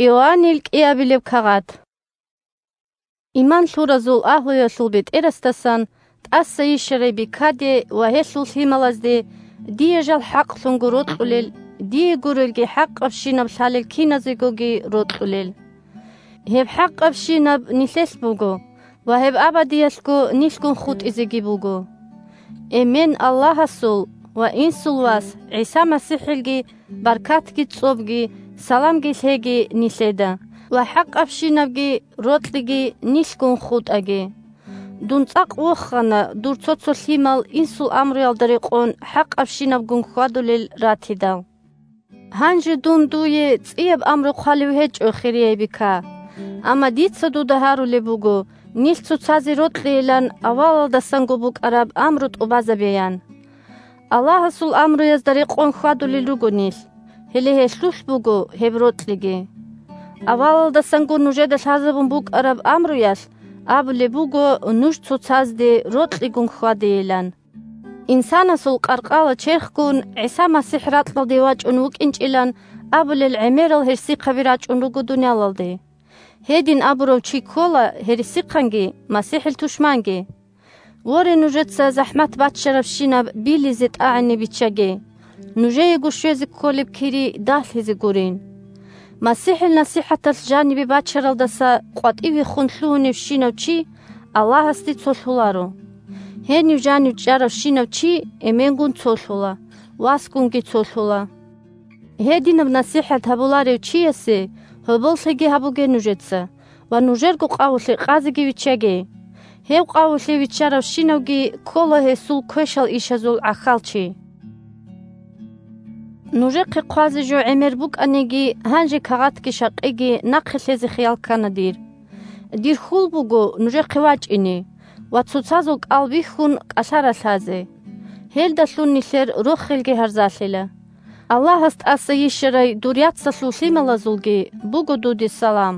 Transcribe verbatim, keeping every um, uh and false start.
Иоаннил кӀиабилеб кагъат. Иман лъуразул агьлуялъул бетӀерасдасан тӀаса йищарай бикаде ва гьелъул лъималазде дие жал хӀакълъунго рокьулел, дие гурелги хӀакъабщинаб лъалел киназегоги рокьулел. Гьеб хӀакъабщинаб нилъелъ буго ва гьеб абадиялъго нилъгун хутӀизеги буго. Эмен Аллагьасул ва Инсул Вас ГӀиса МасихӀилги баркатги цӀобги, саламги лъеги нилъеда ва хӀакъабщинабги рокьиги нилъгун хутӀаги. Дун цӀакъ вохана дур цо-цо лъимал Инсул амруялда рекъон хӀакъабщинабгун хьвадулел ратидал. Гьанже дун дуе цӀияб амру хъвалев гьечӀо, хирияй бика. Амма дица дуда гьарулеб буго, нилъ цоцазе рокьейилан авалалдасанго букӀараб амру тӀубазабеян. Аллагьасул амруязда рекъон хьвадулел руго нилъ, гьеле гьелъулъ буго гьеб рокьиги. Авалалдасанго нужеда лъазабун букӀараб амруялъ абулеб буго нуж цоцазде рокьигун хьвадейилан. Инсанасул къаркъала черхгун ГӀиса МасихӀ ракьалде вачӀун вукӀинчӀилан абулел гӀемерал гьерсихъаби рачӀун руго дуниялалде. Гьедин абурав чи ккола гьересихъанги МасихӀил тушманги. Воре, нужеца захӀмат баччарабщинаб билизе тӀагӀине биччаге, нужеего щвезе кколеб кири дагьлъизе гурин. МасихӀил насихӀаталъ жанибе бачаралдаса къватӀивехун лъугьуневщинав чи Аллагьасде цолъуларо. Гьенив жанив чӀаравщинав чи эменгун цолъула, васгунги цолъула. Гьединаб насихӀат гьабуларев чиясе гьоболлъиги гьабуге нужеца ва нужерго къавулъе къазеги виччаге. Гьев къавулъе виччаравщинавги ккола гьесул квешал ишазул гӀахьалчи. Нужехъе хъвазе жо гӀемер букӀаниги, гьанже кагъатги шакъиги нахъе лъезе хиял ккана дир. Дир хьул буго нужехъе вачӀине ва цоцазул кӀал бихьун кӀалъа ралъазе. Гьелдалъун нилъер рохелги гьарзалъила. Аллагьас тӀаса йищарай дур яцалъул лъималазулги буго дуде салам.